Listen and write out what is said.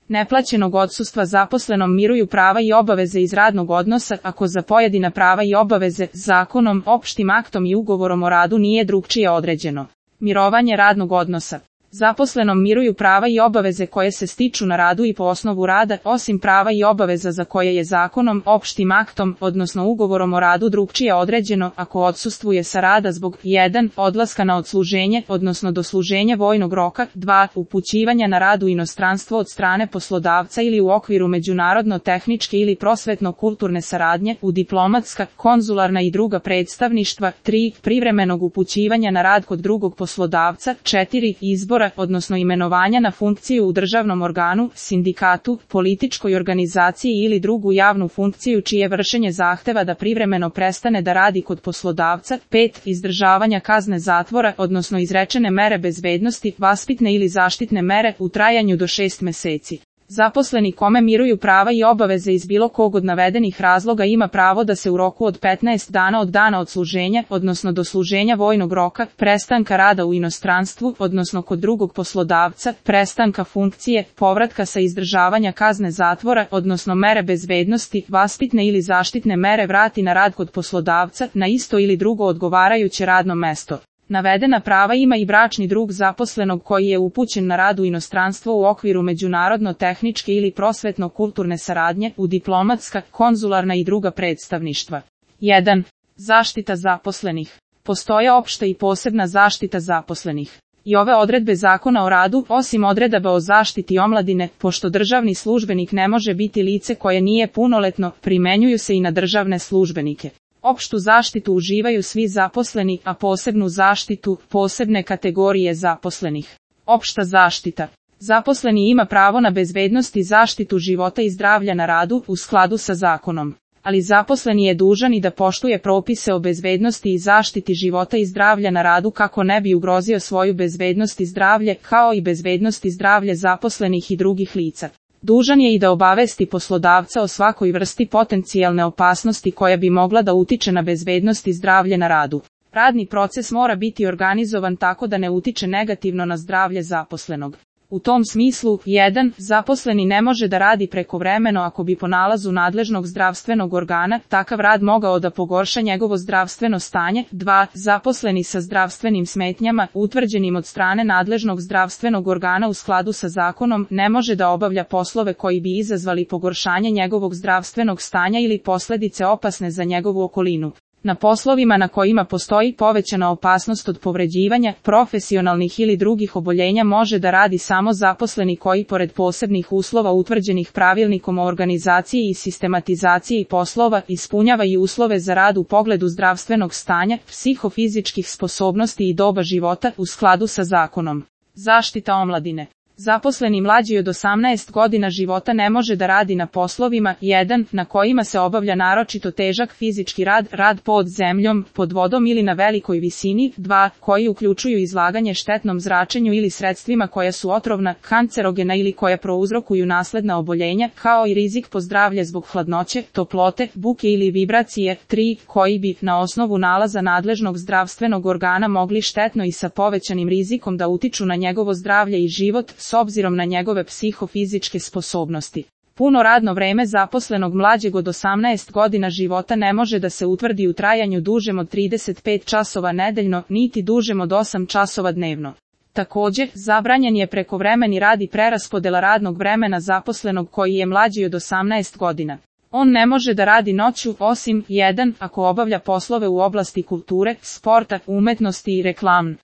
neplaćenog odsustva zaposlenom miruju prava i obaveze iz radnog odnosa ako za pojedina prava i obaveze zakonom, opštim aktom i ugovorom o radu nije drugčije određeno. Mirovanje radnog odnosa. Zaposlenom miruju prava i obaveze koje se stiču na radu i po osnovu rada, osim prava i obaveza za koje je zakonom, opštim aktom, odnosno ugovorom o radu drugčije određeno ako odsustvuje sa rada zbog 1. odlaska na odsluženje, odnosno dosluženja vojnog roka, 2. upućivanja na rad u inostranstvo od strane poslodavca ili u okviru međunarodno-tehničke ili prosvetno-kulturne saradnje, u diplomatska, konzularna i druga predstavništva, 3. privremenog upućivanja na rad kod drugog poslodavca, 4. izbora odnosno imenovanja na funkciju u državnom organu, sindikatu, političkoj organizaciji ili drugu javnu funkciju čije vršenje zahteva da privremeno prestane da radi kod poslodavca, 5. izdržavanja kazne zatvora, odnosno izrečene mere bezbednosti, vaspitne ili zaštitne mere u trajanju do 6 meseci. Zaposleni kome miruju prava i obaveze iz bilo kog od navedenih razloga ima pravo da se u roku od 15 dana od dana odsluženja, odnosno dosluženja vojnog roka, prestanka rada u inostranstvu, odnosno kod drugog poslodavca, prestanka funkcije, povratka sa izdržavanja kazne zatvora, odnosno mere bezbednosti, vaspitne ili zaštitne mere vrati na rad kod poslodavca, na isto ili drugo odgovarajuće radno mesto. Navedena prava ima i bračni drug zaposlenog koji je upućen na rad u inostranstvo u okviru međunarodno-tehničke ili prosvetno-kulturne saradnje, u diplomatska, konzularna i druga predstavništva. 1. Zaštita zaposlenih. Postoje opšta i posebna zaštita zaposlenih. I ove odredbe Zakona o radu, osim odredaba o zaštiti omladine, pošto državni službenik ne može biti lice koje nije punoletno, primenjuju se i na državne službenike. Opštu zaštitu uživaju svi zaposleni, a posebnu zaštitu, posebne kategorije zaposlenih. Opšta zaštita. Zaposleni ima pravo na bezbednost i zaštitu života i zdravlja na radu u skladu sa zakonom. Ali zaposleni je dužan i da poštuje propise o bezbednosti i zaštiti života i zdravlja na radu kako ne bi ugrozio svoju bezbednost i zdravlje, kao i bezbednost i zdravlje zaposlenih i drugih lica. Dužan je i da obavesti poslodavca o svakoj vrsti potencijalne opasnosti koja bi mogla da utiče na bezbednost i zdravlje na radu. Radni proces mora biti organizovan tako da ne utiče negativno na zdravlje zaposlenog. U tom smislu, 1. zaposleni ne može da radi prekovremeno ako bi po nalazu nadležnog zdravstvenog organa takav rad mogao da pogorša njegovo zdravstveno stanje. 2. Zaposleni sa zdravstvenim smetnjama, utvrđenim od strane nadležnog zdravstvenog organa u skladu sa zakonom, ne može da obavlja poslove koji bi izazvali pogoršanje njegovog zdravstvenog stanja ili posledice opasne za njegovu okolinu. Na poslovima na kojima postoji povećana opasnost od povređivanja, profesionalnih ili drugih oboljenja može da radi samo zaposleni koji pored posebnih uslova utvrđenih pravilnikom o organizaciji i sistematizaciji poslova ispunjava i uslove za rad u pogledu zdravstvenog stanja, psihofizičkih sposobnosti i doba života u skladu sa zakonom. Zaštita omladine. Zaposleni mlađi od 18 godina života ne može da radi na poslovima 1. na kojima se obavlja naročito težak fizički rad, rad pod zemljom, pod vodom ili na velikoj visini, 2. koji uključuju izlaganje štetnom zračenju ili sredstvima koja su otrovna, kancerogena ili koja prouzrokuju nasledna oboljenja, kao i rizik po zdravlje zbog hladnoće, toplote, buke ili vibracije, 3. koji bi, na osnovu nalaza nadležnog zdravstvenog organa mogli štetno i sa povećanim rizikom da utiču na njegovo zdravlje i život, s obzirom na njegove psihofizičke sposobnosti. Puno radno vreme zaposlenog mlađeg od 18 godina života ne može da se utvrdi u trajanju dužem od 35 časova nedeljno, niti dužem od 8 časova dnevno. Također, zabranjen je prekovremeni rad i preraspodela radnog vremena zaposlenog koji je mlađi od 18 godina. On ne može da radi noću, osim 1. ako obavlja poslove u oblasti kulture, sporta, umetnosti i reklame.